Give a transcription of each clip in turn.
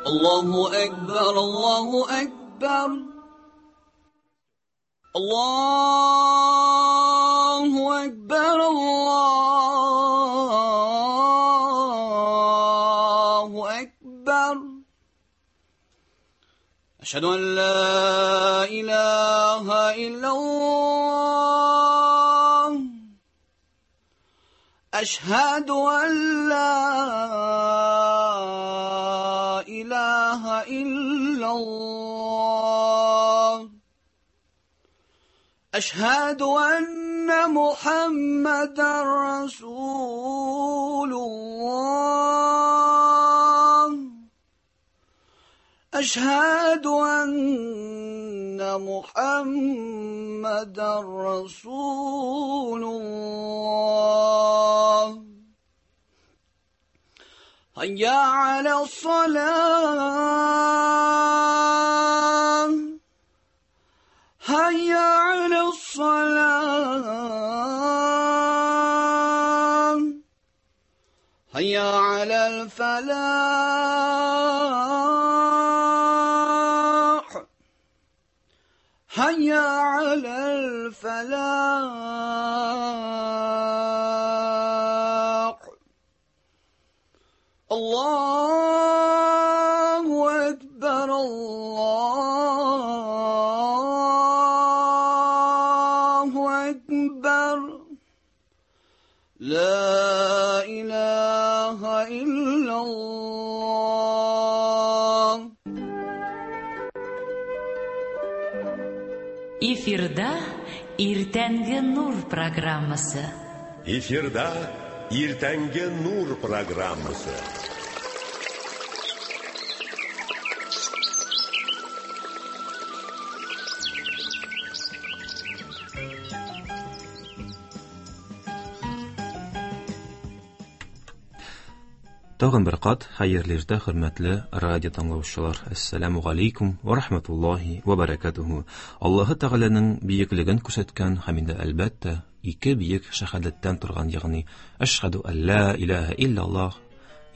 الله أكبر الله أكبر الله أكبر الله أكبر أشهد أن لا إله إلا الله أشهد أن لا إله إلا الله أشهد أن محمدا رسول الله أشهد أن محمدا رسول الله هيا على الصلاة هيا على الصلاة هيا على الفلاح هيا على الفلاح الله أكبر الله أكبر لا إله إلا الله. Эфирда Иртәнге Нур программасы. Эфирда Иртәнге Нур программасы. Тагын бер кат хәерле иртә, хөрмәтле радио тыңлаучылар. Әссәламу галәйкүм ва рахматуллаһи ва баракатуһу. Аллаһы Тәгаләнең бөеклеген күрсәткән һәм инде әлбәттә ике бөек шәһадәттән торган, ягъни әшһәду алла илаһа иллаллаһ,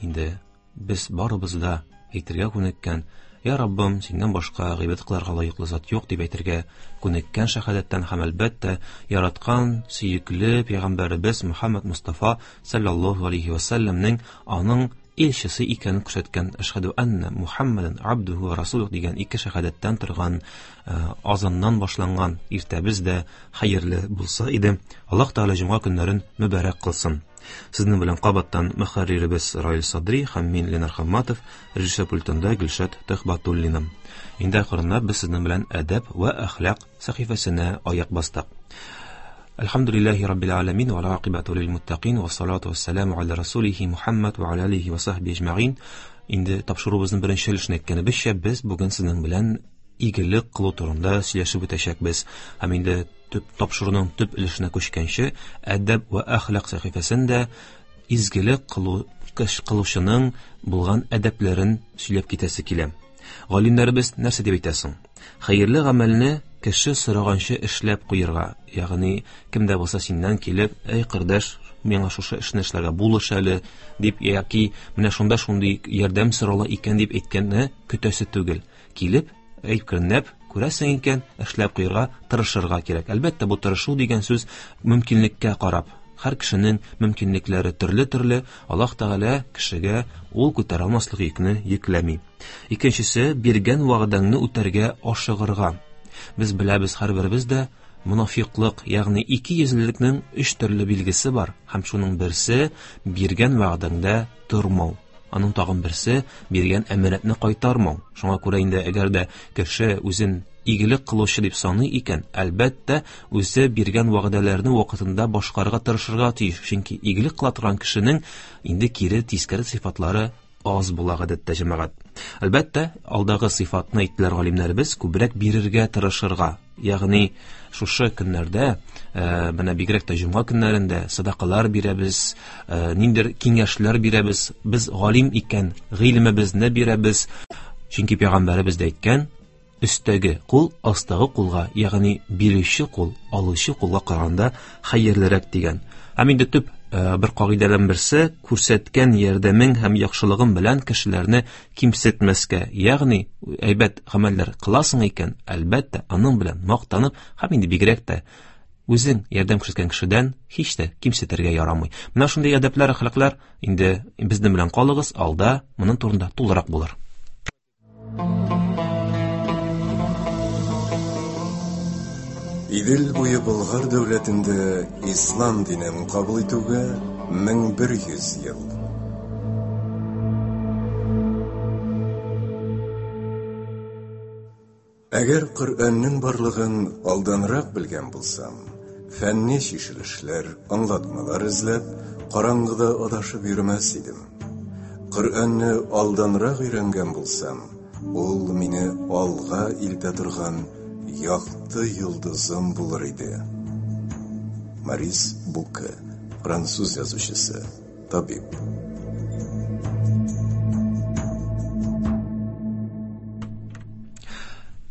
инде без барыбыз да әйтергә күнеккән, Я Раббым, синнән башка гыйбадәт кылырга лаеклы зат юк дип әйтергә күнеккән шәһадәттән һәм әлбәттә яраткан сөекле пәйгамбәребез Мөхәммәд Мустафа саллаллаһу алейхи ва сәлләмнең аның илчесе икәнен күрсәткән әшһәду анна Мухаммадан абдуху ва расулух дигән ике шәһадәттән торган азаннан башланган иртәбез дә хәерле булса иде. Аллаһ Тәгалә җомга көннәрен мөбарәк кылсын. Сезнең белән кабаттан мөхәрриребез Раил Садри һәм мин Ленар Хамматов, режиссер пультында Гөлшат Төхбатуллина. Инде акрынлап без сезнең белән әдәп ва әхлак сәхифәсенә аяк бастык. Әлхәмдүлилләһи раббил аламин ва акибату лил муттакин ва салату вассаламу аля расулихи Мухаммад ва аля алихи ва сахби әҗмәгин. Инде тапшыруыбызның беренче өлешен әйткәнебезчә, без бүген сезнең белән игелек кылу турында сөйләшеп үтәчәкбез. Һәм инде төп тапшыруның төп өлешенә күчкәнче, әдәп ва әхлак сәхифәсендә изгелек кылучының булган әдәпләрен сөйләп китәсе килә. Галимнәребез нәрсә дип әйтә соң? Хәерле гамәлне кеше сораганчы эшләп куярга, ягъни кем дә булса синнән килеп, "Әй кардәш, миңа шушы эшне эшләргә булыш әле" дип яки менә шунда шундый ярдәм сорала икән дип әйткәнне көтәсе түгел. Килеп, әйткәнләп, күрәсең икән, эшләп куярга тырышырга кирәк. Әлбәттә, бу тырышу дигән сүз мөмкинлеккә карап. Һәр кешенең мөмкинлекләре төрле-төрле. Аллаһ Тәгалә кешегә ул күтәрә алмаслык йөкне йөкләми. Икенчесе, биргән вәгъдәңне үтәргә ашыгырга. Без беләбез, һәрберебез дә монафиклык, ягъни ике йөзлелекнең өч төрле билгесе бар, һәм шуның берсе биргән вәгъдәңдә тормау. Аның тагын берсе биргән әманәтне кайтармау. Шуңа күрә инде әгәр дә кеше үзен игелек кылучы дип саный икән, әлбәттә, үзе биргән вәгъдәләрне вакытында башкарырга тырышырга тиеш. Чөнки игелек кыла торган кешенең инде кире тискәре сыйфатлары аз була гадәттә, җәмәгать. Әлбәттә, алдагы сыйфатны әйттеләр галимнәребез, күбрәк бирергә тырышырга. Ягъни шушы көннәрдә, менә бигрәк тә җомга көннәрендә садакалар бирәбез, ниндер киңәшләр бирәбез. Без галим икән, гыйлемебезне бирәбез. Чөнки пәйгамбәребез дә әйткән, өстәге кул астагы кулга, ягъни бирүче кул алучы кулга караганда хәерлерәк дигән. Һәм инде төп бер кагыйдәдән берсе күрсәткән ярдәмең һәм яхшылыгың белән кешеләрне кимсетмәскә, ягъни әйбәт гамәлләр кыласың икән, әлбәттә, аның белән мактанып һәм инде бигрәк тә үзең ярдәм күрсәткән кешедән һич тә кимсетергә ярамый. Менә шундый әдәпләр, әхлаклар инде безнең белән калыгыз, алда моның турында тулырак булыр. Идел буе Болгар дәүләтендә ислам динен кабул итүгә 1100 ел. Әгәр Коръәннең барлыгын алданрак белгән булсам, фәнни чишелешләр, аңлатмалар эзләп, караңгыда адашып йөрмәс идем. Коръәнне алданрак өйрәнгән булсам, ул мине алга илтә торган якты йолдызым булыр иде. Морис Буке, француз язучысы, табиб.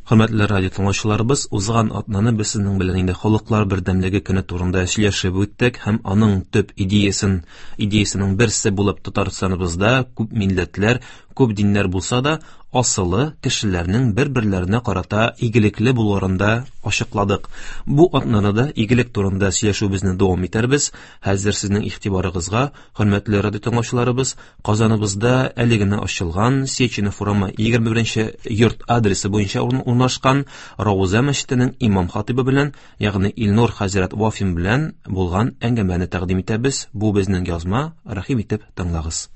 Хөрмәтле радио тыңлаучыларыбыз, узган атнаны без сезнең белән инде халыклар бердәмлеге көне турында сөйләшеп үттек һәм аның төп идеясын, идеясының берсе булып Татарстаныбызда күп милләтләр, күп диннәр булса да, асылы кешеләрнең бер-берләренә карата игелекле булуларында ачыкладык. Бу атнада да игелек турында сөйләшүебезне дәвам итәрбез. Хәзер сезнең игътибарыгызга, хөрмәтле радио тыңлаучыларыбыз, Казаныбызда әле генә ачылган Сеченов урамы 21 йорт адресы буенча урнашкан Рауза мәчетенең имам хатибы белән, ягъни Илнур хәзрәт Вафин белән булган әңгәмәне тәкъдим итәбез. Бу безнең язма, рәхим итеп тыңлагыз.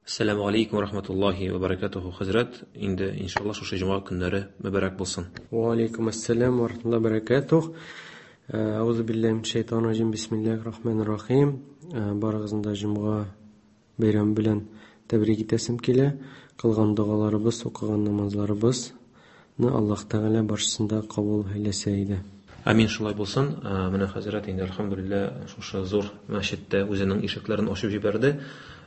Ассаламу алейкум ва рахматуллахи ва баракатуху, хәзрәт. Инде иншаллаһ шушы җомга көннәре мөбарәк булсын. Ва алейкум ассалам ва рахматуллахи ва баракатух. Аузу биллахи минәш шайтанир раҗим. Бисмиллахир рахманир рахим. Барыгызны да җомга бәйрәме белән тәбрик итәсем килә. Кылган догаларыбыз, укыган намазларыбызны Аллаһ Тәгалә барчасын да кабул әйләсә иде. Амин, шулай булсын. Менә хәзрәт инде әлхәмдүлилләһ шушы зур мәчеттә үзенең ишекләрен ачып җибәрде.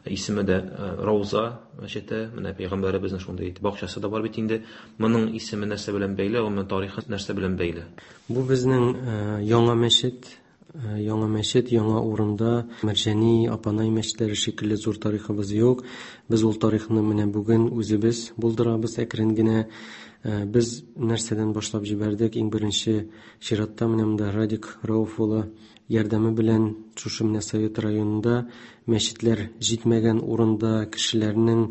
Исеме дә Рауза мәчете. Менә пәйгамбәребезнең шундый бакчасы да бар бит инде. Моның исеме нәрсә белән бәйле, гомумән тарихы нәрсә белән бәйле? Бу безнең яңа мәчет, яңа мәчет, яңа урында. Мәрҗани, Апанай мәчетләре шикелле зур тарихыбыз юк. Без ул тарихны менә бүген үзебез булдырабыз әкрен генә. Без нәрсәдән башлап җибәрдек? Иң беренче чиратта менә монда Радик Рауф улы ярдәме белән шушы менә Совет районында мәчетләр җитмәгән урында кешеләрнең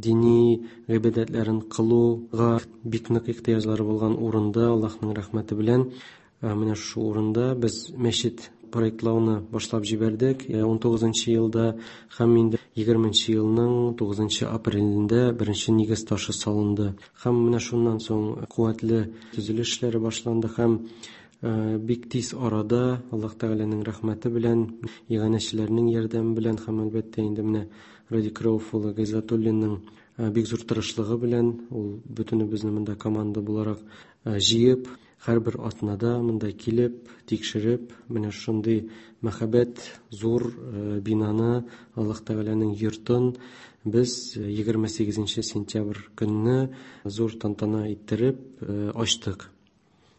дини гыйбадәтләрен кылуга бик нык ихтыяҗлары булган урында Аллаһның рәхмәте белән менә шушы урында без мәчет проектлауны башлап җибәрдек. 19 елда һәм инде 20 елның 9 апрелендә беренче нигез ташы салынды. Һәм менә шуннан соң куәтле төзелеш эшләре башланды һәм бик тиз арада Аллаһ Тәгаләнең рәхмәте белән, иганәчеләрнең ярдәме белән һәм әлбәттә инде менә Радик Рауф улы Гайзатуллинның бик зур тырышлыгы белән ул бөтенебезне монда команда буларак җыеп, һәрбер атнада монда килеп, тикшереп, менә шундый мәхәббәт зур бинаны, Аллаһ Тәгаләнең йортын без 28 сентябрь көнне зур тантана иттереп ачтык.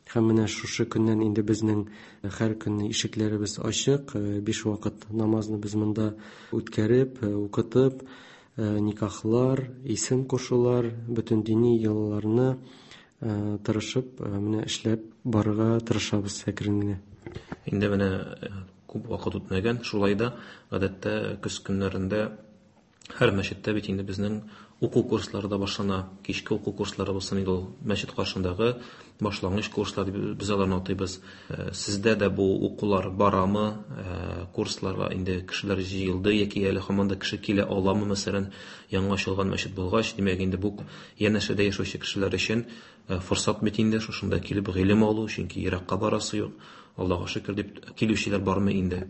Һәм менә шушы көннән инде безнең һәр көнне ишекләребез ачык, 5 вакыт намазны без монда үткәреп, укытып, никахлар, исем кушулар, бөтен дини йолаларны тырышып, менә эшләп барырга тырышабыз әкрен генә. Инде менә күп вакыт үтмәгән, шулай да гадәттә көз көннәрендә һәр мәчеттә бит инде безнең уку курслары да башлана, кичке уку курслары булсын инде ул мәчет каршындагы башлангыч курслар дип без аларны атыйбыз. Сездә дә бу укулар барамы? Курсларга инде кешеләр җыелды яки әле һаман да кеше килә аламы, мәсәлән, яңа ачылган мәчет булгач, димәк инде бу янәшәдә яшәүче кешеләр өчен форсат бит инде шушында килеп гыйлем алу, чөнки еракка барасы юк. Аллаһуга шөкер дип килүчеләр бармы инде?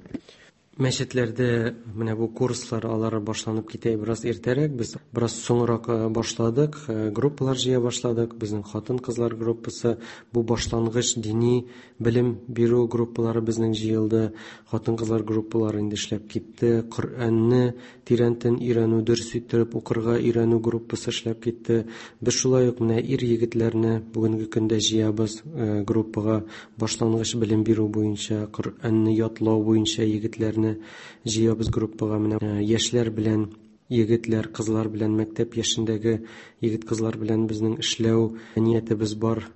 Мәчетләрдә менә бу курслар алар башланып китә бераз иртәрәк, без бераз соңрак башладык, группалар җыя башладык. Безнең хатын-кызлар группасы, бу башлангыч дини белем бирү группалары безнең җыелды. Хатын-кызлар группалары инде эшләп китте. Коръәнне тирәнтен өйрәнү, дөрес иттереп укырга өйрәнү группасы эшләп китте. Без шулай ук менә ир-егетләрне бүгенге көндә җыябыз группага башлангыч белем бирү буенча, Коръәнне ятлау буенча егетләрне. яшьләрне җыябыз группага. Менә яшьләр белән егетләр, кызлар белән, мәктәп яшендәге егет-кызлар белән безнең эшләү ниятебез бар.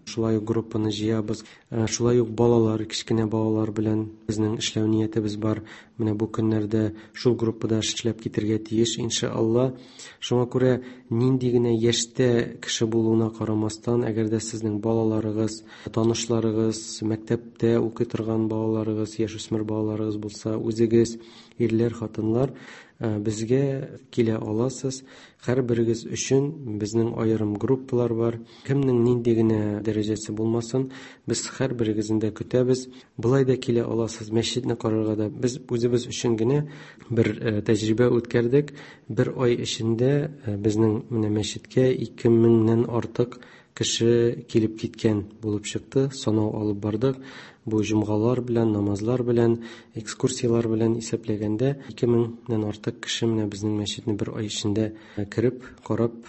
Шулай ук группаны җыябыз. Шулай ук балалар, кечкенә балалар белән безнең эшләү ниятебез бар. Менә бу көннәрдә шул группада эшләп китергә тиеш, иншалла. Шуңа күрә нинди генә яшьтә кеше булуына карамастан, әгәр дә сезнең балаларыгыз, танышларыгыз, мәктәптә укый торган балаларыгыз, яшүсмер балаларыгыз булса, үзегез, ирләр, хатыннар, безгә килә аласыз. Һәрберегез өчен безнең аерым группалар бар. Кемнең нинди генә дәрәҗәсе булмасын, без һәрберегезне дә көтәбез. Болай да килә аласыз, мәчетне карарга да. Без үзебез өчен генә бер тәҗрибә үткәрдек. Бер ай эчендә безнең менә мәчеткә 2000-нән артык кеше килеп киткән булып чыкты. Санау алып бардык. Бу җомгалар белән, намазлар белән, экскурсияләр белән исәпләгәндә 2000-нән артык кеше менә безнең мәчетне бер ай эчендә кереп, карап,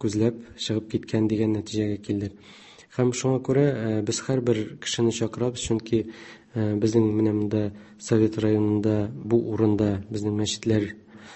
күзләп чыгып киткән дигән нәтиҗәгә килдек. Һәм шуңа күрә без һәрбер кешене чакырабыз, чөнки безнең менә монда Совет районында бу урында безнең мәчетләр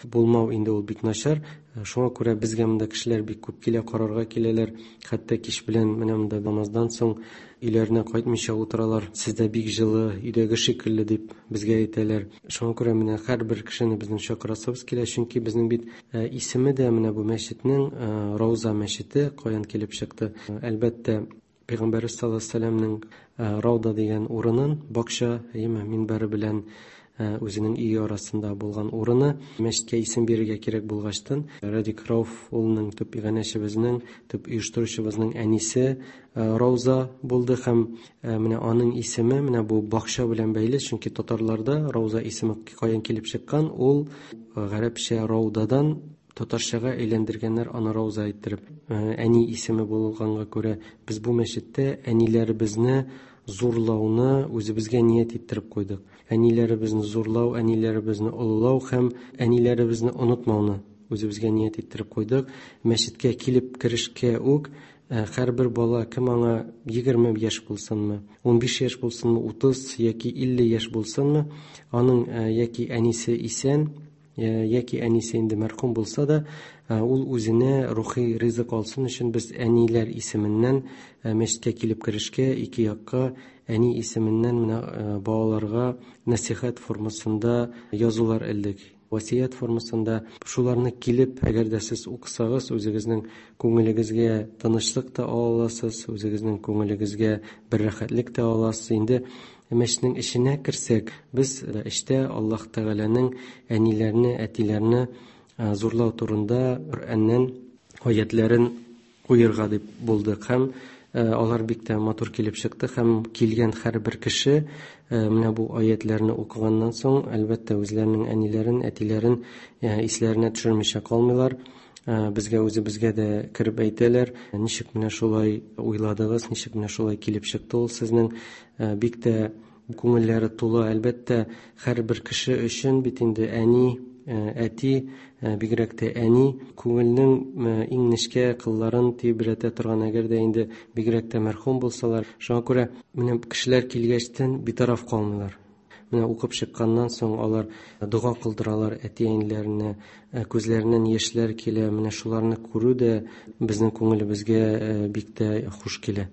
булмау инде ул бик начар. Шуңа күрә безгә монда кешеләр бик күп килә, карарга киләләр. Хәтта кич белән менә монда намаздан соң өйләренә кайтмыйча утыралар. Сездә бик җылы, өйдәге шикелле дип безгә әйтәләр. Шуңа күрә менә һәрбер кешене безнең чакырасыбыз килә, чөнки безнең бит исеме дә менә бу мәчетнең Рауза мәчете каян килеп чыкты. Әлбәттә, Пәйгамбәрбез саллаллаһу алейһи ва сәлләмнең Рауда дигән урынын, бакча, әйеме, минбәре белән үзенең өе арасында булган урыны, мәчеткә исем бирергә кирәк булгачтын, Радик Рауф улының төп иганәчебезнең, төп оештыручыбызның әнисе Рауза булды һәм менә аның исеме менә бу бакча белән бәйле, чөнки татарларда Рауза исеме каян килеп чыккан, ул гарәпчә Раудадан татарчага әйләндергәннәр аны Рауза иттереп. Әни исеме булганга күрә без бу мәчеттә әниләребезне зурлауны үзебезгә ният иттереп куйдык. Әниләребезне зурлау, әниләребезне олылау һәм әниләребезне онытмауны үзебезгә ният иттереп куйдык. Мәчеткә килеп керешкә үк һәрбер бала, кем аңа 20 яшь булсынмы, 15 яшь булсынмы, 30 яки 50 яшь булсынмы, аның яки әнисе исән, яки әнисе инде мәрхүм булса да, ул үзенә рухи ризык алсын өчен без әниләр исеменнән мәчеткә килеп керешкә ике якка әни исеменнән менә балаларга нәсихәт формасында язулар элдек. Васият формасында шуларны килеп, әгәр дә сез укысагыз, үзегезнең күңелегезгә тынычлык та ала аласыз, үзегезнең күңелегезгә бер рәхәтлек тә аласыз. Инде мәчетнең эченә керсәк, без эчтә Аллаһ Тәгаләнең әниләрне, әтиләрне зурлау турында Коръәннән аятларын куерга дип булдык. Һәм алар бик тә матур килеп чыкты һәм килгән һәрбер кеше менә бу аятларны укыганнан соң, әлбәттә, үзләренең әниләрен, әтиләрен исләренә төшермичә калмыйлар. Безгә үзебезгә дә кереп әйтәләр, ничек менә шулай уйладыгыз, ничек менә шулай килеп чыкты ул сезнең, бик тә күңелләре тулы. Әлбәттә, һәрбер кеше өчен бит инде әни, әти, бигрәк тә әни күңелнең иң нечкә кылларын тибрәтә торган, әгәр дә инде бигрәк тә мәрхүм булсалар. Шуңа күрә менә кешеләр килгәчтен битараф калмыйлар. Менә укып чыкканнан соң алар дога кылдыралар әти-әниләренә, күзләреннән яшьләр килә. Менә шуларны күрү дә безнең күңелебезгә бик тә хуш килә.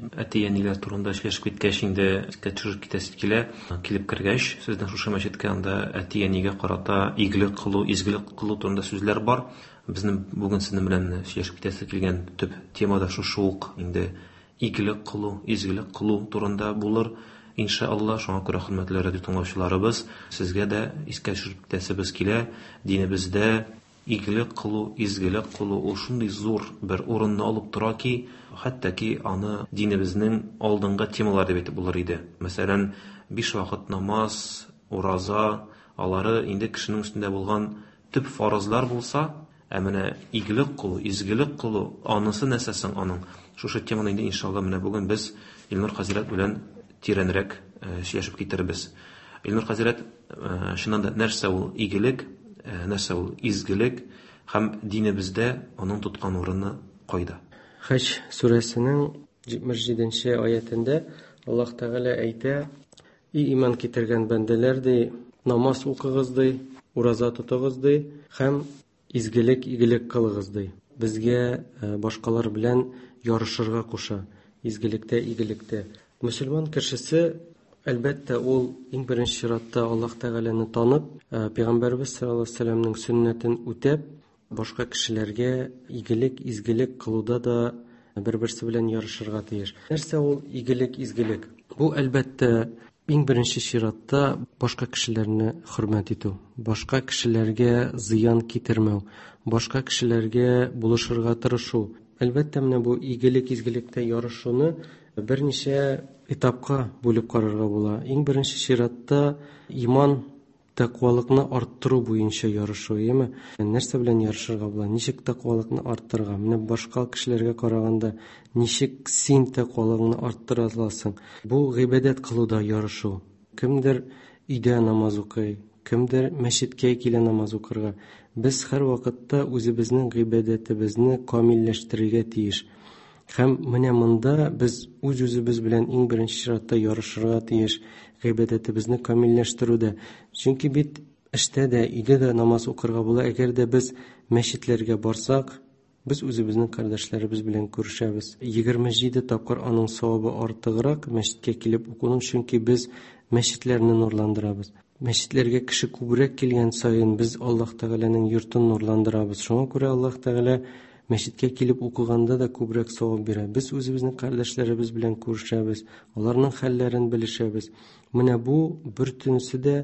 Әти-әниләр турында сөйләшеп киткәч, инде искә төшереп китәсе килә. Килеп кергәч, сезнең шушы мәчеткә анда әти-әнигә карата игелек кылу, изгелек кылу турында сүзләр бар. Безнең бүген сезнең белән сөйләшеп китәсе килгән төп тема да шушы ук инде игелек кылу, изгелек кылу турында булыр. Иншалла, шуңа күрә хөрмәтле радио тыңлаучыларыбыз, сезгә дә искә төшереп китәсебез килә. Динебездә игелек кылу, изгелек кылу ул шундый зур бер урынны алып тора ки, хәтта ки аны динебезнең алдынгы темалары дип әйтеп булыр иде. Мәсәлән, 5 вакыт намаз, ураза, алары инде кешенең өстендә булган төп фарызлар булса, ә менә игелек кылу, изгелек кылу, анысы нәрсә соң аның? Шушы теманы инде иншалла менә бүген без Илнур хәзрәт белән тирәнрәк сөйләшеп китербез. Илнур хәзрәт, чыннан да нәрсә ул игелек, нәрсә ул изгелек һәм динебездә аның тоткан урыны кайда? Хаҗ сүрәсенең 77-нче аятендә Аллаһ Тәгалә әйтә: "И иман китергән бәндәләр, ди, Намаз укыгыз ди, ураза тотыгыз ди һәм изгелек, игелек кылыгыз ди. Безгә башкалар белән ярышырга куша. Изгелектә, игелектә. Мөселман кешесе, әлбәттә, ул иң беренче чиратта Аллаһ Тәгаләне танып, Пәйгамбәрбез саллаллаһу алейһи ва сәлләмнең сөннәтен үтәп, башка кешеләргә игелек, изгелек кылуда да бер-берсе белән ярышырга тиеш. Нәрсә ул игелек, изгелек? Бу, әлбәттә, иң беренче чиратта башка кешеләрне хөрмәт итү, башка кешеләргә зыян китермәү, башка кешеләргә булышырга тырышу. Әлбәттә, менә бу игелек, изгелектә ярышуны берничә этапка бүлеп карарга була. Иң беренче чиратта иман, тәкъвалыкны арттыру буенча ярышу, яме? Нәрсә белән ярышырга була? Ничек тәкъвалыкны арттырырга? Менә башка кешеләргә караганда ничек син тәкъвалыгыңны арттыра аласың? Бу гыйбадәт кылуда ярышу. Кемдер өйдә намаз укый, кемдер мәчеткә килә намаз укырга. Без һәр вакытта үзебезнең гыйбадәтебезне камилләштерергә тиеш. Һәм менә монда без үз-үзебез белән иң беренче чиратта ярышырга тиеш гыйбадәтебезне камилләштерүдә. Чөнки бит эштә дә, өйдә дә намаз укырга була. Әгәр дә без мәчетләргә барсак, без үзебезнең кардәшләребез белән күрешәбез. 27 тапкыр аның савабы артыграк мәчеткә килеп укуның, чөнки без мәчетләрне нурландырабыз. Мәчетләргә кеше күбрәк килгән саен без Аллаһ Тәгаләнең йортын нурландырабыз. Шуңа күрә Аллаһ Тәгалә мәчеткә килеп укыганда да күбрәк савап бирә. Без үзебезнең кардәшләребез белән күрешәбез, аларның хәлләрен белешәбез. Менә бу бөтенесе дә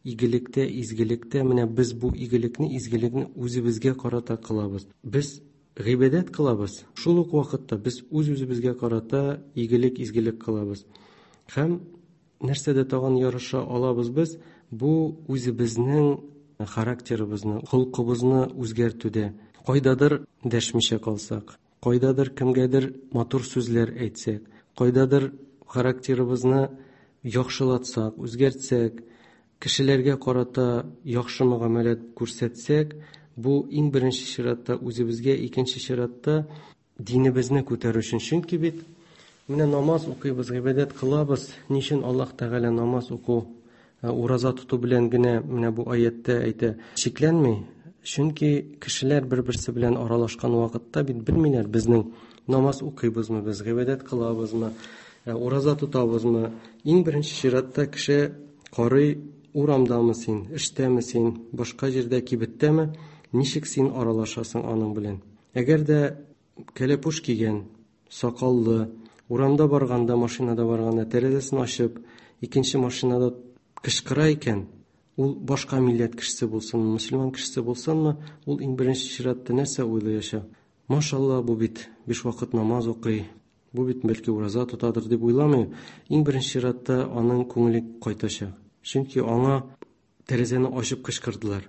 игелектә, изгелектә. Менә без бу игелекне, изгелекне үзебезгә карата кылабыз. Без гыйбадәт кылабыз. Шул ук вакытта без үз-үзебезгә карата игелек, изгелек кылабыз. Һәм нәрсәдә тагын ярыша алабыз без? Бу үзебезнең характерыбызны, холкыбызны үзгәртүдә. Кайдадыр дәшмичә калсак, кайдадыр кемгәдер матур сүзләр әйтсәк, кайдадыр характерыбызны яхшылатсак, үзгәртсәк, кешеләргә карата яхшы мөгамәлә күрсәтсәк, бу иң беренче чиратта үзебезгә, икенче чиратта динебезне күтәрү өчен. Чөнки бит менә намаз укыйбыз, гыйбадәт кылабыз. Ни өчен Аллаһ Тәгалә намаз уку, ураза тоту белән генә менә бу аятта әйтә, чикләнми? Чөнки кешеләр бер-берсе белән аралашкан вакытта бит белмиләр безнең намаз укыйбызмы, без гыйбадәт кылабызмы, ураза тотабызмы. Иң беренче чиратта кеше карый, урамдамы син, эштәме син, башка җирдә, кибеттәме, ничек син аралашасың аның белән. Әгәр дә кәләпүш кигән, сакаллы, урамда барганда, машинада барганда тәрәзәсен ачып, икенче машинада кычкыра икән, ул башка милләт кешесе булсынмы, мөселман кешесе булсынмы, ул иң беренче чиратта нәрсә уйлаячак? Машалла, бу бит 5 вакыт намаз укый, бу бит бәлки ураза тотадыр дип уйламый. Иң беренче чиратта аның күңеле кайтачак. Чөнки аңа тәрәзәне ачып кычкырдылар.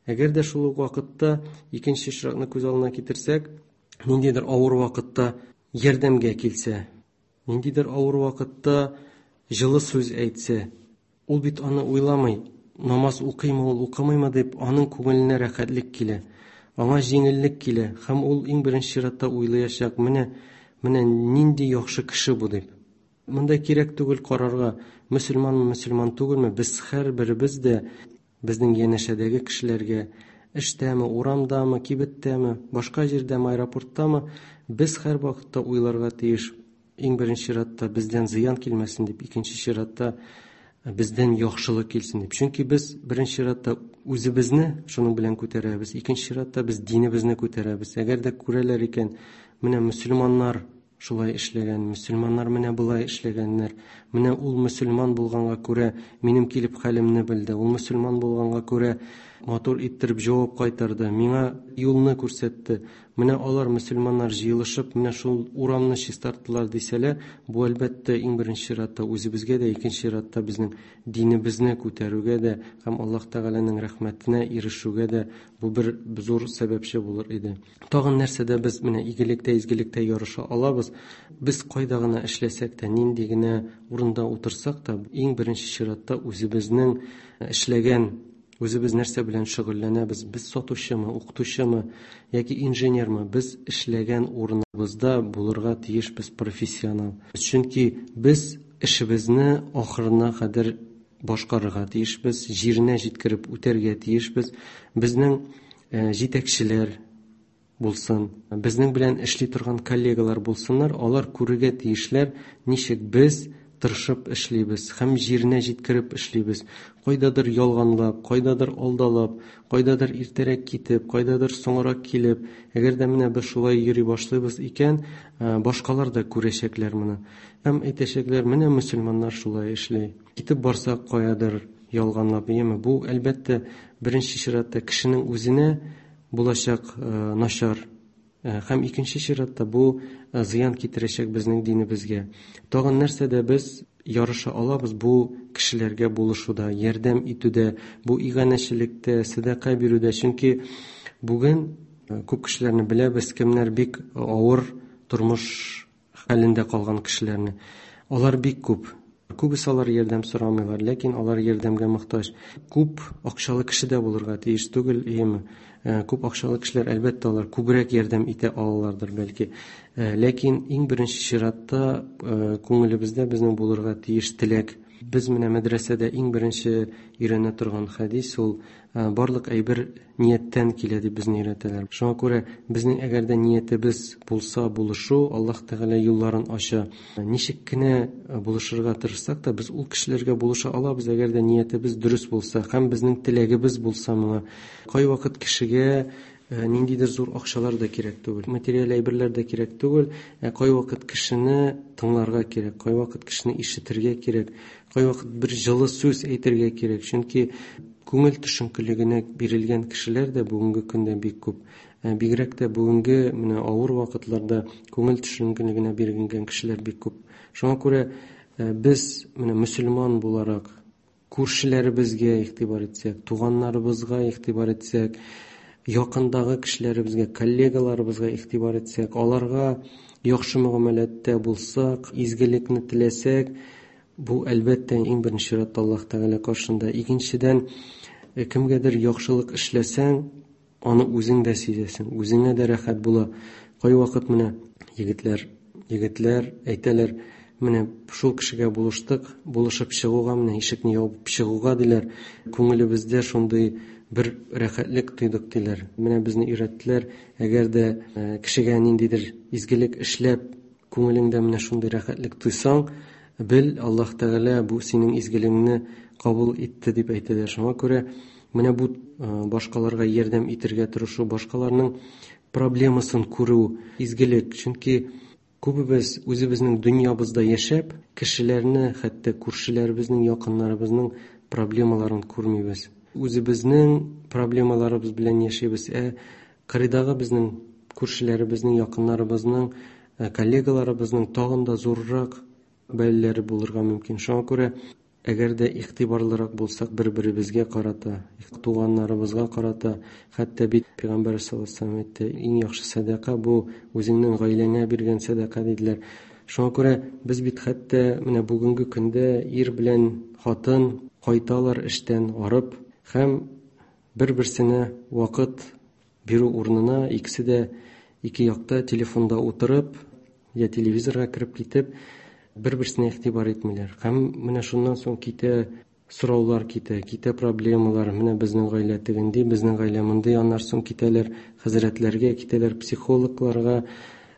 Әгәр дә шул ук вакытта икенче очракны күз алдына китерсәк, ниндидер авыр вакытта ярдәмгә килсә, ниндидер авыр вакытта җылы сүз әйтсә, ул бит аны уйламый, намаз укыймы ул, укымыймы дип, аның күңеленә рәхәтлек килә, аңа җиңеллек килә, һәм ул иң беренче чиратта уйлаячак, менә нинди яхшы кеше бу дип. Монда кирәк түгел карарга, мөселманмы, мөселман түгелме, без һәр беребез дә безнең янәшәдәге кешеләргә, эштәме, урамдамы, кибеттәме, башка җирдәме, аэропорттамы, без һәр вакытта уйларга тиеш. Иң беренче чиратта бездән зыян килмәсен дип, икенче чиратта бездән яхшылык килсен дип. Чөнки без беренче чиратта үзебезне шуның белән күтәрәбез, икенче чиратта без динебезне күтәрәбез. Әгәр дә күрәләр икән, менә мөселманнар шулай эшләгән, мөселманнар менә болай эшләгәннәр, менә ул мөселман булганга күрә минем килеп хәлемне белде, ул мөселман булганга күрә матур иттереп җавап кайтарды, миңа юлны күрсәтте, менә алар мөселманнар җыелышып, менә шул урамны чистарттылар дисәләр, бу әлбәттә иң беренче чиратта үзебезгә дә, икенче чиратта безнең динебезне күтәрүгә дә һәм Аллаһ Тәгаләнең рәхмәтенә ирешүгә дә бу бер зур сәбәпче булыр иде. Тагын нәрсәдә без менә игелектә, изгелектә ярыша алабыз? Без кайда гына эшләсәк тә, нинди генә урында утырсак та, иң беренче чиратта үзебезнең эшләгән, үзебез нәрсә белән шөгыльләнәбез, без сатучымы, укытучымы яки инженермы, без эшләгән урыныбызда булырга тиеш без профессионал. Чөнки без эшебезне ахырына кадәр башкарырга тиешбез, җиренә җиткереп үтәргә тиешбез. Безнең җитәкчеләр булсын, безнең белән эшли торган коллегалар булсыннар, алар күрергә тиешләр, ничек без тырышып эшлибез һәм җиренә җиткереп эшлибез. Кайдадыр ялганлап, кайдадыр алдалап, кайдадыр иртәрәк китеп, кайдадыр соңрак килеп, әгәр дә менә без шулай йөри башлыйбыз икән, башкалар да күрәчәкләр моны. Һәм әйтәчәкләр, менә мөселманнар шулай эшли. Китеп барсак каядыр ялганлап, яме бу әлбәттә беренче чиратта кешенең үзенә булачак начар. Һәм икенче чиратта бу зыян китерәчәк безнең динебезгә. Тагын нәрсәдә без ярыша алабыз? Бу кешеләргә булышуда, ярдәм итүдә, бу иганәчелектә, сәдака бирүдә. Чөнки бүген күп кешеләрне беләбез, кемнәр бик авыр тормыш хәлендә калган кешеләрне. Алар бик күп. Күбесе алар ярдәм сорамыйлар, ләкин алар ярдәмгә мохтаҗ. Күп акчалы кеше дә булырга тиеш түгел, әйеме? Күп акчалы кешеләр, әлбәттә, алар күбрәк ярдәм итә алалардыр бәлки. Ләкин иң беренче чиратта күңелебездә безнең булырга тиеш теләк. Без менә мәдрәсәдә иң беренче өйрәнә торган хәдис ул барлык әйбер нияттән килә дип безне өйрәтәләр. Шуңа күрә безнең әгәр дә ниятебез булса булышу, Аллаһ Тәгалә юлларын ача. Ничек кенә булышырга тырышсак та, без ул кешеләргә булыша алабыз, әгәр дә ниятебез дөрес булса һәм безнең теләгебез булса моңа. Кайвакыт кешегә ниндидер зур акчалар да кирәк түгел, материаль әйберләр дә кирәк түгел, ә кайвакыт кешене тыңларга кирәк, кайвакыт кешене ишетергә кирәк, кайвакыт бер җылы сүз әйтергә кирәк. Чөнки күңел төшенкелегенә бирелгән кешеләр дә бүгенге көндә бик күп. Бигрәк тә бүгенге менә авыр вакытларда күңел төшенкелегенә бирелгән кешеләр бик күп. Шуңа күрә без менә мөселман буларак күршеләребезгә игътибар итсәк, туганнарыбызга игътибар итсәк, якындагы кешеләребезгә, коллегаларыбызга игътибар итсәк, аларга яхшы мөгамәләттә булсак, изгелекне теләсәк, бу әлбәттә иң беренче чиратта Аллаһ Тәгалә каршында. Икенчедән, кемгәдер яхшылык эшләсәң, аны үзең дә сизәсең, үзеңә дә рәхәт була. Кайвакыт менә егетләр әйтәләр, менә шул кешегә булыштык, булышып чыгуга, менә ишекне ябып чыгуга диләр, күңелебездә шундый бер рәхәтлек тойдык диләр. Менә безне өйрәттеләр, әгәр дә кешегә ниндидер изгелек эшләп, күңелеңдә менә шундый рәхәтлек тойсаң, бел, Аллаһ Тәгалә бу синең изгелегеңне кабул итте дип әйтәләр. Шуңа күрә менә бу башкаларга ярдәм итәргә тырышу, башкаларның проблемасын күрү изгелек. Чөнки күбебез үзебезнең дөньябызда яшәп, кешеләрне, хәтта күршеләребезнең, якыннарыбызның проблемаларын күрмибез. Үзебезнең проблемаларыбыз белән яшибез. Кырыйдагы безнең күршеләребезнең, якыннарыбызның, коллегаларыбызның тагын да зуррак бәлаләре булырга мөмкин. Шуңа күрә әгәр дә игътибарлырак булсак бер-беребезгә карата, туганнарыбызга карата, хәтта бит Пәйгамбәр саллаллаһу алейһи ва сәлләм әйтте, иң яхшы сәдака бу үзеңнең гаиләңә биргән сәдака диделәр. Шуңа күрә без бит хәтта менә бүгенге көндә ир белән хатын кайталар эштән арып һәм бер-берсенә вакыт бирү урынына икесе дә ике якта телефонда утырып, я телевизорга кереп китеп, бер-берсенә игътибар итмиләр. Һәм менә шуннан соң китә сораулар, китә проблемалар. Менә безнең гаилә тегенди, безнең гаилә мондый. Аннан соң китәләр хәзрәтләргә, китәләр психологларга,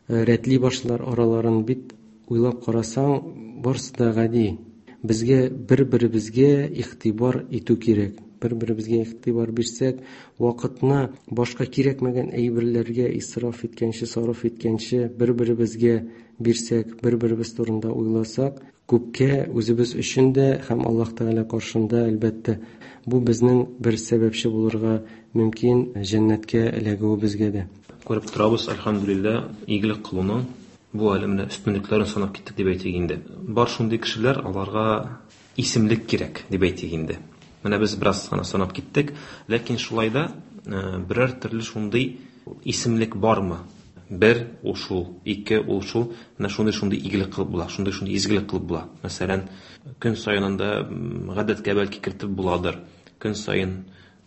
рәтли башлар араларын. Бит уйлап карасаң, барысы да гади. Безгә бер-беребезгә игътибар итү кирәк. Бер-беребезгә игътибар бирсәк, вакытны башка кирәкмәгән әйберләргә исраф иткәнче, сарыф иткәнче, бер-беребезгә бирсәк, бер-беребез турында уйласак, күпкә үзебез өчен дә һәм Аллаһ Тәгалә каршында әлбәттә бу безнең бер сәбәпче булырга мөмкин җәннәткә эләгүебезгә дә. Күреп торабыз, әлхәмдүлилләһ, игелек кылуның бу әле менә өстенлекләрен санап киттек дип әйтик инде. Бар шундый кешеләр, аларга исемлек кирәк дип әйтик инде. Менә без бераз гына санап киттек, ләкин шулай да берәр төрле шундый исемлек бармы? Бер ул шул, ике ул шул, менә шундый-шундый игелек кылып була, шундый-шундый изгелек кылып була. Мәсәлән, көн саен анда гадәткә бәлки кертеп буладыр. Көн саен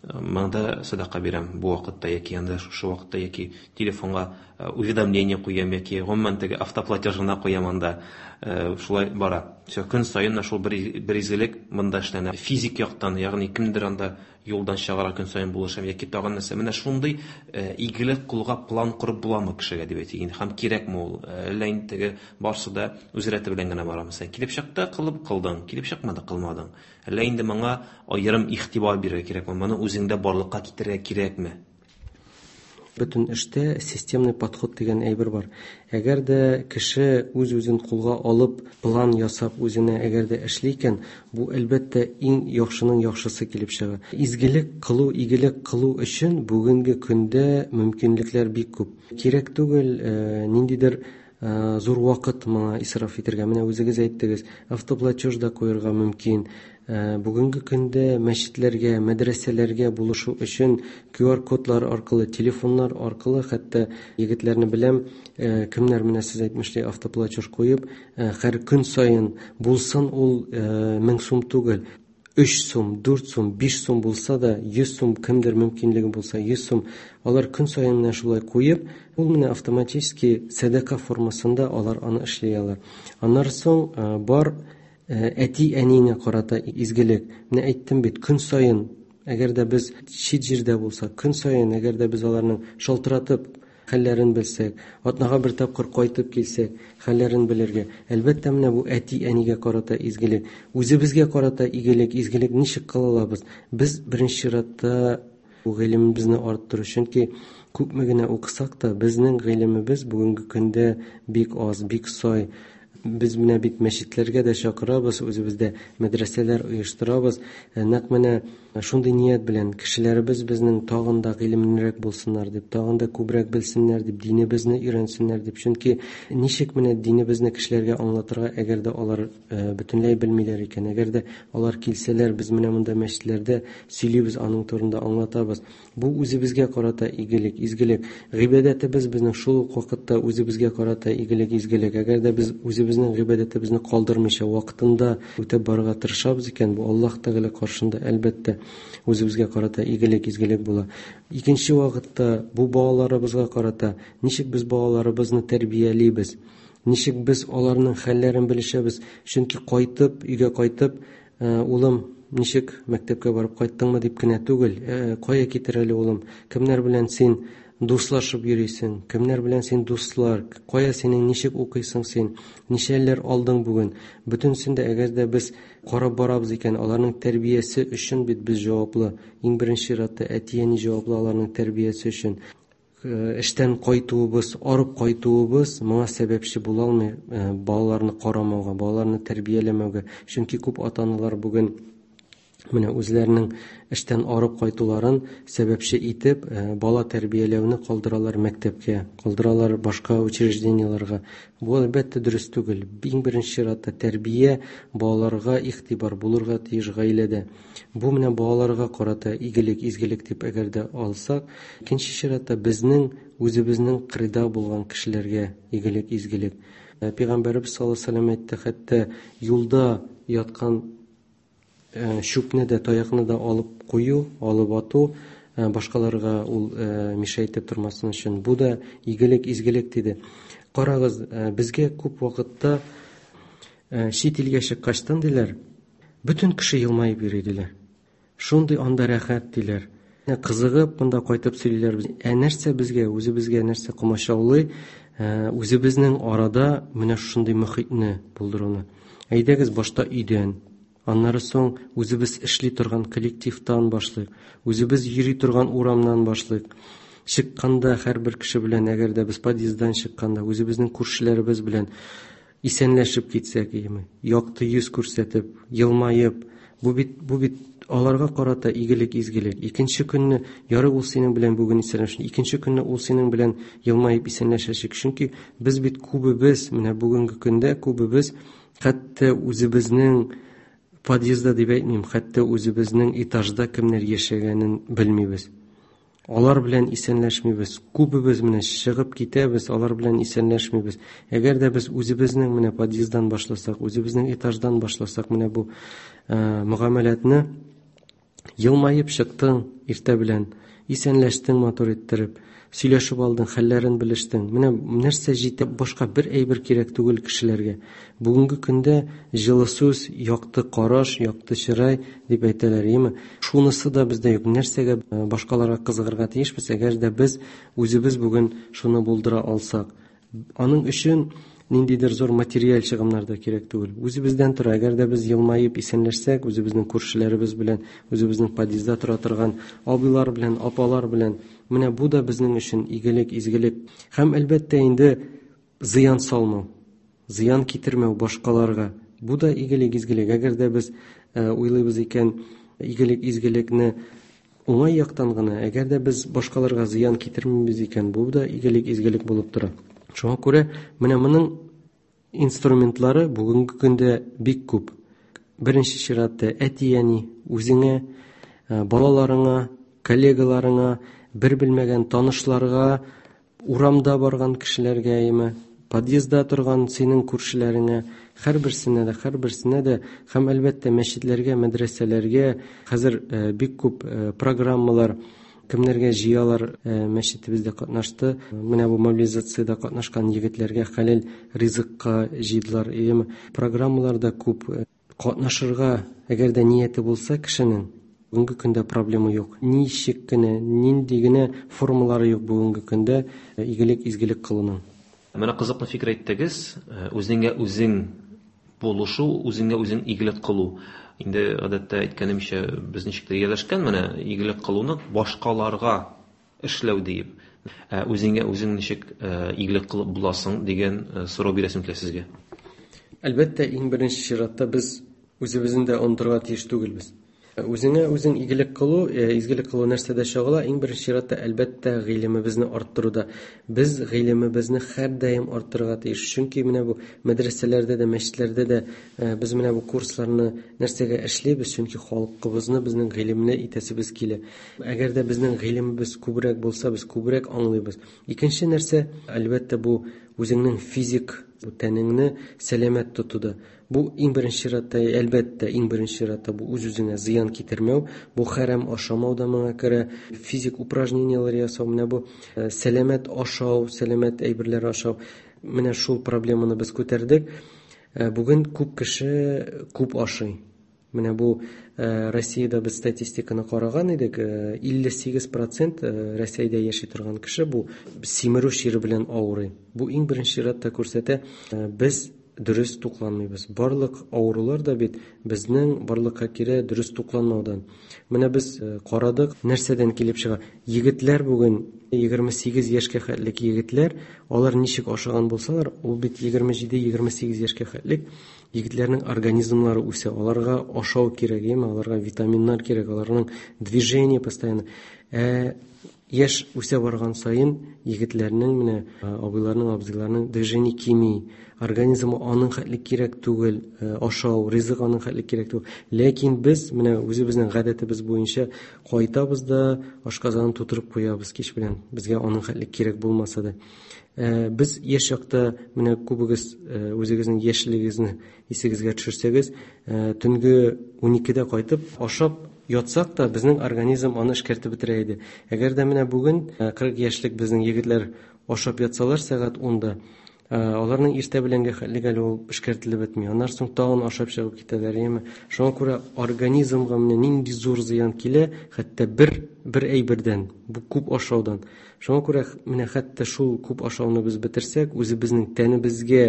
Монда садака бирәм бу вакытта яки анда шушы вакытта, яки телефонга уведомление куям, яки гомумән теге автоплатеж гына куям анда. Шулай бара. Всё, көн саен шул бер изгелек монда эшләнә. Физик яктан, ягъни кемдер анда юлдан чыгара, көн саен булышам, яки тагын нәрсә. Менә шундый игелек кылуга план корып буламы кешегә дип әйтик инде, һәм кирәкме ул? Әллә инде теге барсы да үз рәте белән генә бара. Мәсәлән, килеп чыкты, кылып кылдың, килеп чыкмады, кылмадың. Әллә инде моңа аерым игътибар бирергә кирәкме? Моны үзеңдә барлыкка китерергә кирәкме? Бөтен эштә системный подход дигән әйбер бар. Әгәр дә кеше үз-үзен кулга алып, план ясап үзенә әгәр дә эшли икән, бу әлбәттә иң яхшының яхшысы килеп чыга. Изгелек кылу, игелек кылу өчен бүгенге көндә мөмкинлекләр бик күп. Кирәк түгел ниндидер зур вакыт моңа исраф итәргә. Менә үзегез әйттегез, автоплатеж да куярга мөмкин. Бүгенге көндә мәчетләргә, мәдрәсәләргә булышу өчен QR кодлар аркылы, телефоннар аркылы, хәтта егетләрне беләм, кемнәр менә сез әйтмешли автоплатеж куеп, һәр көн саен булсын ул 1000 сум түгел, 3 сум, 4 сум, 5 сум булса да, 100 сум кемдер мөмкинлеге булса, 100 сум, алар көн саен менә шулай куеп, ул менә автоматически сәдака формасында алар аны эшли алар. Аннары соң бар әти-әниңә карата изгелек. Менә әйттем бит, көн саен, әгәр дә без чит җирдә булсак, көн саен, әгәр дә без аларның шалтыратып хәлләрен белсәк, атнага бер тапкыр кайтып килсәк, хәлләрен белергә. Әлбәттә, менә бу әти-әнигә карата изгелек. Үзебезгә карата игелек, изгелек ничек кыла алабыз? Без беренче чиратта бу гыйлемебезне арттыру, чөнки күпме генә укысак та, безнең гыйлемебез бүгенге көндә бик аз, бик сай. Без менә бит мәчетләргә дә чакырабыз, үзебездә мәдрәсәләр оештырабыз. Нәкъ менә шундый ният белән кешеләребез безнең тагын да гыйлемлерәк булсыннар дип, тагын да күбрәк белсеннәр дип, динебезне өйрәнсеннәр дип. Чөнки ничек менә динебезне кешеләргә аңлатырга, әгәр дә алар бөтенләй белмиләр икән, әгәр дә алар килсәләр, без менә монда мәчетләрдә сөйлибез, аның турында аңлатабыз. Бу үзебезгә карата игелек, изгелек. Гыйбадәтебез безнең шул ук вакытта үзебезгә карата игелек, изгелек. Әгәр дә без үзебезнең гыйбадәтебезне калдырмыйча вакытында үтәп барырга тырышабыз икән, бу Аллаһ Тәгалә каршында әлбәттә үзебезгә карата игелек, изгелек була. Икенче вакытта бу балаларыбызга карата ничек без балаларыбызны тәрбиялибез, ничек без аларның хәлләрен белешәбез. Чөнки кайтып, өйгә кайтып, улым, ничек мәктәпкә барып кайттыңмы дип кенә түгел, кая китер әле улым, кемнәр белән син дуслашып йөрисең, кемнәр белән син дуслар, кая синең ничек укыйсың син, ничәләр алдың бүген. Бөтенсен дә әгәр дә без карап барабыз икән, аларның тәрбиясе өчен бит без җаваплы. Иң беренче чиратта әти-әни җаваплы аларның тәрбиясе өчен. Эштән кайтуыбыз, арып кайтуыбыз моңа сәбәпче була алмый, балаларны карамауга, балаларны тәрбияләмәүгә. Чөнки күп ата-аналар бүген менә үзләренең эштән арып кайтуларын сәбәпче итеп, бала тәрбияләүне калдыралар мәктәпкә, калдыралар башка учреждениеләргә. Бу әлбәттә дөрес түгел. Иң беренче чиратта тәрбия, балаларга игътибар булырга тиеш гаиләдә. Бу менә балаларга карата игелек, изгелек дип әгәр дә алсак, икенче чиратта безнең үзебезнең кырыйда булган кешеләргә игелек, изгелек. Пәйгамбәребез саллаллаһу алейһи ва сәлләм әйтте, хәтта юлда яткан чүпне дә, таякны да алып кую, алып ату, башкаларга ул мишә итеп тормасын өчен. Бу да игелек, изгелек диде. Карагыз, безгә күп вакытта чит илгә чыккачтан диләр, бөтен кеше елмаеп йөри диләр. Шундый анда рәхәт диләр. Кызыгып монда кайтып сөйлиләр. Ә нәрсә безгә, үзебезгә нәрсә комачаулый, үзебезнең арада менә шундый мөхитне булдыруны. Әйдәгез башта өйдән, аннары соң үзебез эшли торган коллективтан башлыйк, үзебез йөри торган урамнан башлыйк. Чыкканда һәрбер кеше белән, әгәр дә без подъезддан чыкканда, үзебезнең күршеләребез белән исәнләшеп китсәк, яме, якты йөз күрсәтеп, елмаеп, бу бит аларга карата игелек, изгелек. Икенче көнне ярый ул синең белән бүген исәнләшә, икенче көнне ул синең белән елмаеп исәнләшәчәк. Чөнки без бит күбебез, менә бүгенге көндә күбебез хәтта үзебезнең подъездда дип әйтмим, хәтта үзебезнең этажда кемнәр яшәгәнен белмибез. Алар белән исәнләшмибез. Күбебез менә чыгып китәбез, алар белән исәнләшмибез. Әгәр дә без үзебезнең менә подъезддан башласак, үзебезнең этаждан башласак, менә бу мөгамәләтне, Елмаеп чыктың иртә белән, исәнләштең матур иттереп, сөйләшеп алдың, хәлләрен белештең. Менә нәрсә җитә, башка бер әйбер кирәк түгел кешеләргә. Бүгенге көндә җылы сүз, якты караш, якты чырай дип әйтәләр, яме. Шунысы да бездә юк. Нәрсәгә башкаларга кызыгырга тиешбез, әгәр дә без үзебез бүген шуны булдыра алсак. Аның өчен ниндидер зур материаль чыгымнар да кирәк түгел. Үзебездән тора. Әгәр дә без елмаеп исәнләшсәк, үзебезнең күршеләребез белән, үзебезнең подъездда тора торган абыйлар белән, апалар белән, менә бу да безнең өчен игелек, изгелек. Һәм әлбәттә инде зыян салмау, зыян китермәү башкаларга. Бу да игелек, изгелек. Әгәр дә без уйлыйбыз икән, игелек, изгелекне уңай яктан гына, әгәр дә без башкаларга зыян китермибез икән, бу да игелек, изгелек булып тора. Шуңа күрә менә моның инструментлары бүгенге көндә бик күп. Беренче чиратта әти-әни, үзеңә, балаларыңа, коллегаларыңа, бер белмәгән танышларга, урамда барган кешеләргә, яме, подъездда торган синең күршеләреңә, һәрберсенә дә, һәрберсенә дә һәм әлбәттә мәчетләргә, мәдрәсәләргә хәзер бик күп программалар кемнәргә җыялар, мәчетебездә катнашты. Менә бу мобилизациядә катнашкан егетләргә хәләл ризыкка җыйдылар. Яме, программалар да күп. Катнашырга, әгәр дә нияте булса кешенең, бүгенге көндә проблема юк. Ничек кенә, нинди генә формалары юк бүгенге көндә игелек, изгелек кылуның. Менә кызыклы фикер әйттегез, үзеңә үзең булышу, үзеңә үзең игелек кылу. Инде гадәттә әйткәнемчә, без ничек тә ияләшкән менә игелек кылуны башкаларга эшләү диеп. Үзеңә үзең ничек игелек кылып буласың дигән сорау бирәсем килә сезгә. Әлбәттә, иң беренче чиратта без үзебезне дә онытырга тиеш түгелбез. Үзеңә үзең игелек кылу, изгелек кылу нәрсәдә чагыла? Иң беренче чиратта, әлбәттә, гыйлемебезне арттыруда. Без гыйлемебезне һәрдаим арттырырга тиеш. Чөнки менә бу мәдрәсәләрдә дә, мәчетләрдә дә без менә бу курсларны нәрсәгә эшлибез? Чөнки халкыбызны безнең гыйлемле итәсебез килә. Әгәр дә безнең гыйлемебез күбрәк булса, без күбрәк аңлыйбыз. Икенче нәрсә, әлбәттә, бу үзеңнең физик тәнеңне сәламәт тотуда. Бу иң беренче чиратта, әлбәттә, иң беренче чиратта бу үз-үзеңә зыян китермәү, бу хәрам ашамау да моңа керә, физик упражнениеләр ясау, менә бу сәламәт ашау, сәламәт әйберләр ашау. Менә шул проблеманы без күтәрдек. Бүген күп кеше күп ашый. Менә бу Россиядә без статистиканы караган идек, 58% Россиядә яши торган кеше бу симерү чире белән авырый. Бу иң беренче чиратта күрсәтә, без дөрес тукланмыйбыз. Барлык авырулар да бит безнең барлыкка килә дөрес тукланмаудан. Менә без карадык, нәрсәдән килеп чыга. Егетләр бүген 28 яшькә хәтлек егетләр, алар ничек ашаган булсалар, ул бит 27-28 яшькә хәтлек егетләрнең организмнары үсә. Аларга ашау кирәк, яме, аларга витаминнар кирәк, аларның движение постоянно. Яшь үсә барган саен егетләрнең, менә абыйларның, абзыйларның движение кими, организмы аның хәтле кирәк түгел, ашау, ризык аның хәтле кирәк түгел. Ләкин без менә үзебезнең гадәтебез буенча кайтабыз да ашказанын тутырып куябыз кич белән. Безгә аның хәтле кирәк булмаса да. Без яшь чакта менә күбегез үзегезнең яшьлегегезне исегезгә төшерсәгез, төнге 12-дә кайтып ашап ятсак та безнең организм аны эшкәртеп бетерә иде. Әгәр дә менә бүген 40 яшьлек безнең егетләр ашап ятсалар сәгать 10-да, аларның иртә беләнге хәтлек әле ул эшкәртелеп бетми. Аннан соң тагын ашап чыгып китәләр, яме. Шуңа күрә организмга менә нинди зур зыян килә, хәтта бер әйбердән, бу күп ашаудан. Шуңа күрә менә хәтта шул күп ашауны без бетерсәк, үзебезнең тәнебезгә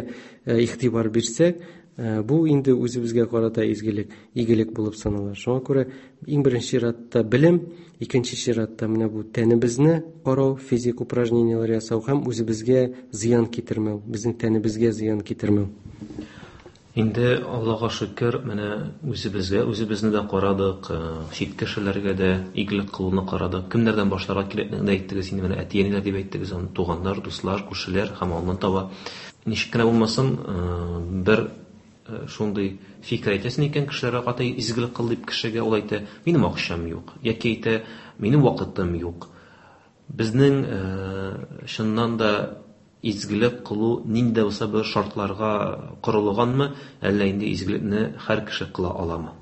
игътибар бирсәк, бу инде үзебезгә карата изгелек, игелек булып санала. Шуңа күрә иң беренче чиратта белем, икенче чиратта менә бу тәнебезне карау, физик упражнениеләр ясау һәм үзебезгә зыян китермәү, безнең тәнебезгә зыян китермәү. Инде Аллаһка шөкер, менә үзебезгә, үзебезне дә карадык, чит кешеләргә дә игелек кылуны карадык. Кемнәрдән башларга кирәклеген дә әйттегез, инде менә әти-әниләр дип әйттегез, аны туганнар, дуслар, күршеләр һәм аннан таба. Ничек кенә булмасын, бер шундый фикер әйтәсең икән, кешеләргә карата изгелек кыл дип кешегә ул әйтә, минем акчам юк, яки әйтә, минем вакытым юк. Безнең чыннан да изгелек кылу нинди дә булса бер шартларга корылганмы, әллә инде изгелекне һәр кеше кыла аламы?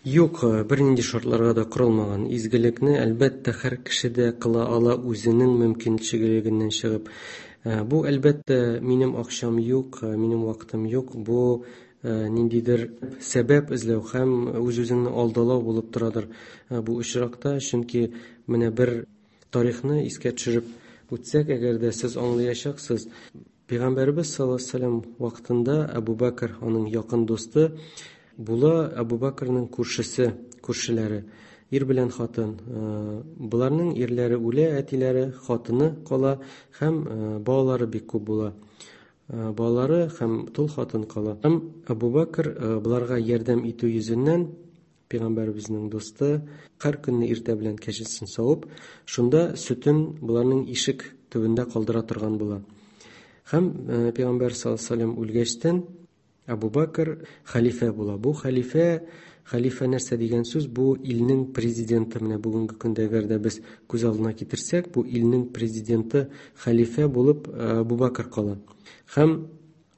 Юк, бернинди шартларга да корылмаган. Изгелекне, әлбәттә, һәр кеше дә кыла ала үзенең мөмкинчелегеннән чыгып. Бу, әлбәттә, минем акчам юк, минем вакытым юк. Бу ниндидер сәбәп эзләү һәм үз-үзеңне алдалау булып торадыр бу очракта, чөнки менә бер тарихны искә төшереп үтсәк, әгәр дә сез аңлаячаксыз, Пәйгамбәребез саллаллаһу алейһи ва сәлләм вакытында Әбу Бәкр, аның якын дусты, була Әбу Бәкрнең күршесе, күршеләре, ир белән хатын. Боларның ирләре үлә, әтиләре, хатыны кала һәм балалары бик күп була. Балалары һәм тол хатын кала. Һәм Әбу Бәкр боларга ярдәм итү йөзеннән, Пәйгамбәребезнең дусты, һәр көнне иртә белән кәҗәсен савып, шунда сөтен боларның ишек төбендә калдыра торган була. Һәм Пәйгамбәр саллаллаһу алейһи ва сәлләм үлгәчтен Әбу Бәкр хәлифә була. Бу хәлифә, хәлифә нәрсә дигән сүз? Бу илнең президенты. Менә бүгенге көндә әгәр дә без күз алдына китерсәк, бу илнең президенты хәлифә булып Әбу Бәкр кала. Һәм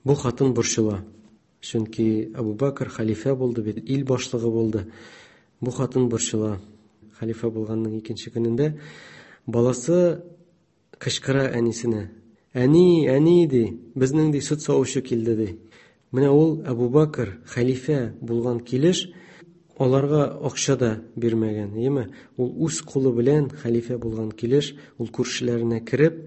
бу хатын борчыла. Чөнки Әбу Бәкр хәлифә булды бит, ил башлыгы булды. Бу хатын борчыла. Хәлифә булганның икенче көнендә баласы кычкыра әнисенә. Әни, әни, ди, безнең ди сөт савучы килде, ди. Менә ул Әбу Бәкр хәлифә булган килеш аларга акча да бирмәгән, әйеме? Ул үз кулы белән хәлифә булган килеш, ул күршеләренә кереп,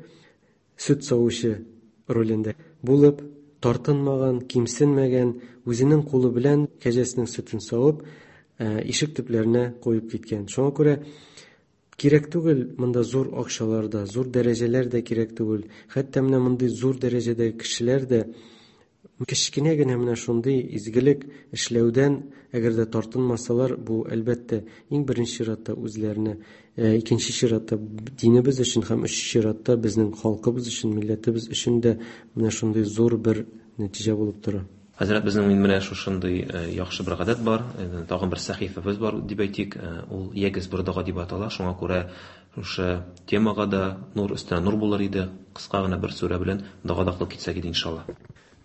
сөт савучы ролендә булып, тартынмаган, кимсенмәгән, үзенең кулы белән кәҗәсенең сөтен савып, ишек төпләренә куеп киткән. Шуңа күрә кирәк түгел монда зур акчалар да, зур дәрәҗәләр дә кирәк түгел. Хәтта менә мондый зур дәрәҗәдәге кешеләр дә кечкенә генә менә шундый изгелек эшләүдән әгәр дә тартынмасалар, бу әлбәттә иң беренче чиратта үзләренә, икенче чиратта динебез өчен һәм өченче чиратта безнең халкыбыз өчен, милләтебез өчен дә менә шундый зур бер нәтиҗә булып тора. Хәзрәт, безнең менә шушындый яхшы бер гадәт бар, тагын бер сәхифәбез бар дип әйтик, ул Ягез бер дога дип атала, шуңа күрә шушы темага да нур өстенә нур булыр иде, кыска гына бер сүрә белән дога да кылып китсәк иде иншалла.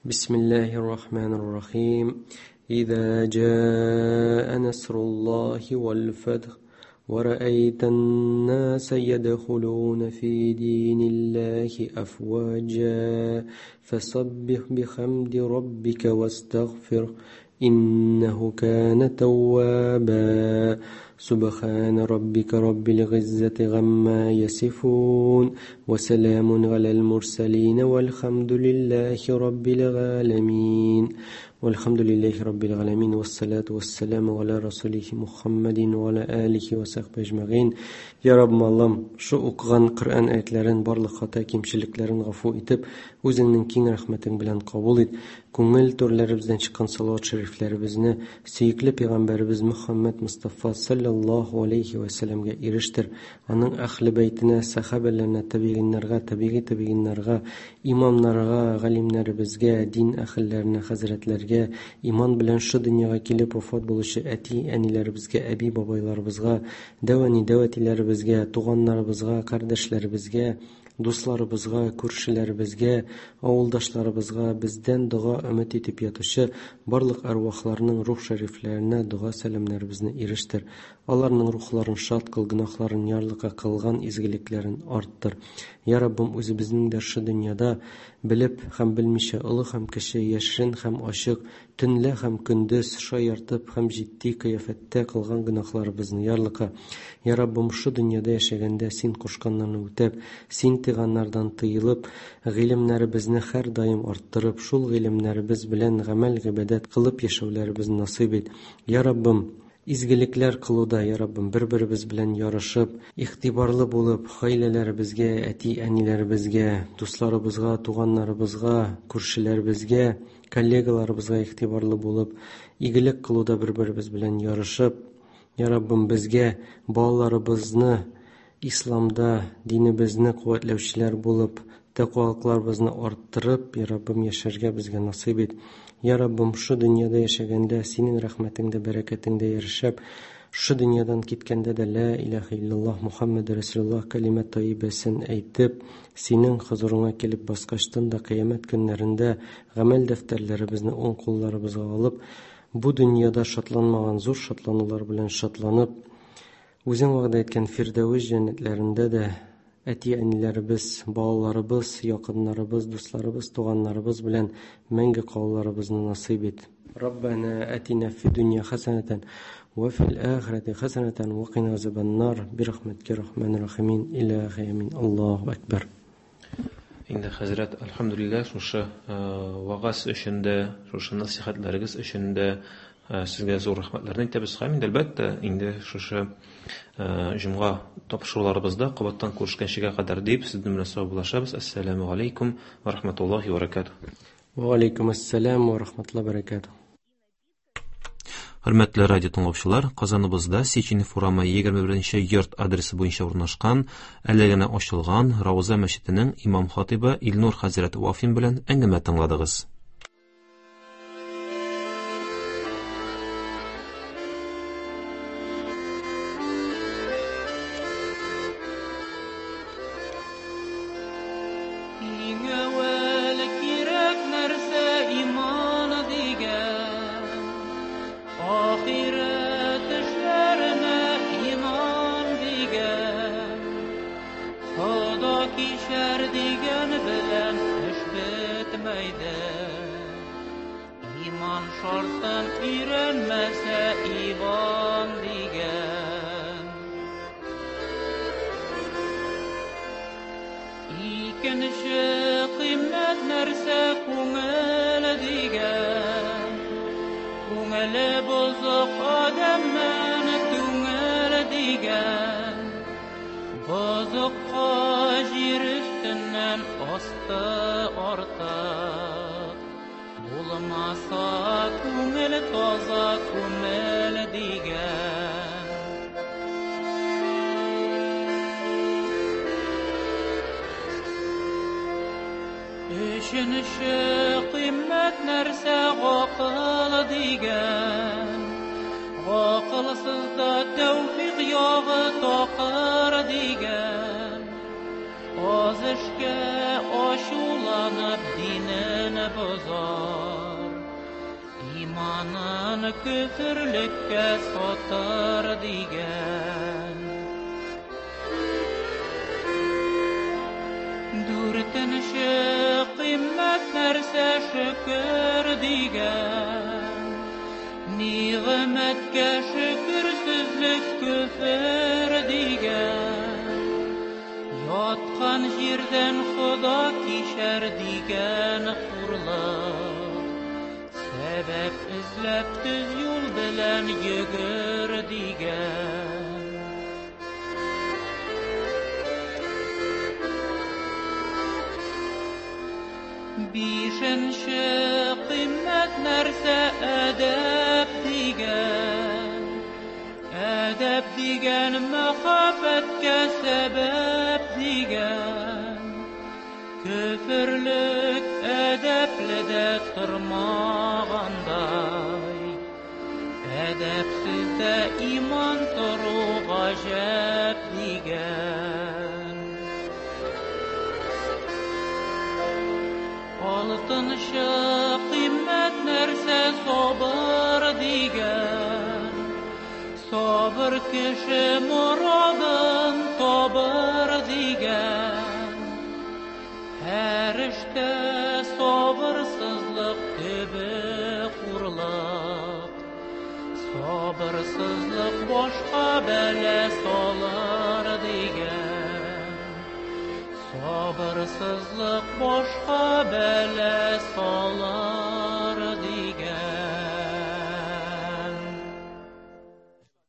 Бисмиллаһир-рахманир-рахим. Иза жаа насруллахи вал-фатх ва раайтан наса ядхулуна фи диниллахи афваджа фасаббих бихамди раббика вастагфир иннаху кана тавваба. Субхана раббика раббил гиззати гамма ясифун ва саламун алал мурсалин валхамдулиллахи раббил галамин. Вальхамдулиллахи раббил галамин вассалату вассаламу аля расулихи Мухаммадин ва аля алихи ва сахбихи ажмагин. Я Раббым Аллам, шу укыган Коръән аятларын, барлык хата кимчелекләрен гафу итеп, үзеңнең киң рәхмәтең белән кабул ит. Күңел түрләребездән чыккан салават шәрифләребезне сөекле пәйгамбәребез Мухаммад Мустафа саллаллаһу алейхи ва сәлләмгә ирештер. Аның әһле бәйтенә, сахабәләренә, табигиннарга, табиги табигиннарга, имамнарга, галимнәребезгә, дин әһелләренә, хәзрәтләргә, иман белән шу дөньяга килеп вафат булучы әти, әниләребезгә, әби, бабайларыбызга, дәү әни, дәү әтиләребезгә, туганнарыбызга, кардәшләребезгә, дусларыбызга, күршеләребезгә, авылдашларыбызга, бездән дога өмет итеп ятучы барлык әрвахларның рух шәрифләренә дога сәламнәребезне ирештер. Аларның рухларын шат кыл, гөнаһларын ярлыка, кылган изгелекләрен арттыр. Я Раббым, үзебезнең дә шу дөньяда белеп һәм белмичә, олы һәм кече, яшерен һәм ачык, төнлә һәм көндез шаяртып һәм җитди кыяфәттә кылган гөнаһларыбызны ярлыка. Я Раббым, шу дөньяда яшәгәндә син кушканнарны үтәп, син тыйганнардан тыелып, гыйлемнәребезне һәр даим арттырып, шул гыйлемнәребез белән гамәл гыйбадәт кылып яшәүләребезне насыйп ит. Я Раббым, изгелекләр кылуда, я Раббым, бер-беребез белән ярышып, игътибарлы булып, гаиләләребезгә, әти-әниләребезгә, дусларыбызга, туганнарыбызга, күршеләребезгә, коллегаларыбызга игътибарлы булып, игелек кылуда бер-беребез белән ярышып, я Раббым, безгә балаларыбызны исламда, динебезне куәтләүчеләр булып, тәкъвалыкларыбызны арттырып, я Раббым, яшәргә безгә насыйп ит. Я Раббым, шу дөньяда яшәгәндә синең рәхмәтеңдә, бәрәкәтеңдә яшәп, шу дөньядан киткәндә дә ла илаһа иллаллаһ Мухаммад Расулуллаһ калимә тайибәсен әйтеп, синең хозурыңа килеп баскачтан да кыямәт көннәрендә гамәл дәфтәрләребезне уң кулларыбызга алып, Бу дөньяда шатланмаган зур шатланулар белән шатланып, үзең вәгъдә иткән Фирдәвес җәннәтләрендә дә әти-әниләребез, балаларыбыз, якыннарыбыз, дусларыбыз, туганнарыбыз белән мәңге калуларыбызны насыйп ит. Раббана атина фид дөнья хәсәнәтән ва фил ахирати хәсәнәтән ва кина азабаннар бирахмәтика рахманир рахимин. Илаһи амин. Аллаһу акбар. Инде хәзрәт, әлхәмдүлилләһ, шушы вагаз өчен дә, шушы насихәтләрегез өчен дә сезгә зур рәхмәтләрне әйтәбез. Һәм инде әлбәттә, инде шушы җомга тапшыруларыбызда кабаттан күрешкәнчегә кадәр дип сезнең белән саубуллашабыз. Әссәламү алейкум ва рахматуллаһи ва баракатуһ. Ва алейкум ассалам ва рахматуллаһи ва баракатуһ. Хөрмәтле радио тыңлаучылар, Казаныбызда Сеченов урамы 21 йорт адресы буенча урнашкан, әле генә ачылган Рауза мәчетенең имам хатибы Илнур хәзрәт Вафин белән әңгәмә тыңладыгыз. Иң әүвәл кирәк нәрсә иман дигән, ахирәт эшләренә иман дигән, Хода кичәр дигән белән эш бетмәйде. Иман шартын өйрәнмәсә Иван дигән. Икенче кыйммәт нәрсә күңел дигән. Күңеле бозык адәмнән түңел дигән. Бозыкка җир өстеннән асты артык. Булмаса күңел таза күңел дигән. Өченче кыйммәт нәрсә гакыл дигән. Гакылсызда тәүфик ягы такыр дигән. Аз эшкә ачуланып динен бозар. Иманын көферлеккә сатыр дигән. Дүртенче кыйммәт нәрсә шөкер дигән. Нигъмәткә шөкерсезлек көфер дигән. Яткан җирдән Хода кичәр дигән хурлык. Сәбәп эзләп төз юл белән йөгер дигән. Бишенче кыйммәт нәрсә әдәп дигән. Әдәп дигән мәхәббәткә сәбәп дигән. Көферлек әдәпле дә тормагандай. Әдәпсез дә иман тору гаҗәп дигән. Алтынчы кыйммәт нәрсә сабыр дигән. Сабыр кеше морадын табыр дигән. Һәр эштә сабырсызлык төбе хурлык. Сабырсызлык башка бәла салыр дигән. Сабырсызлык башка бәла салыр.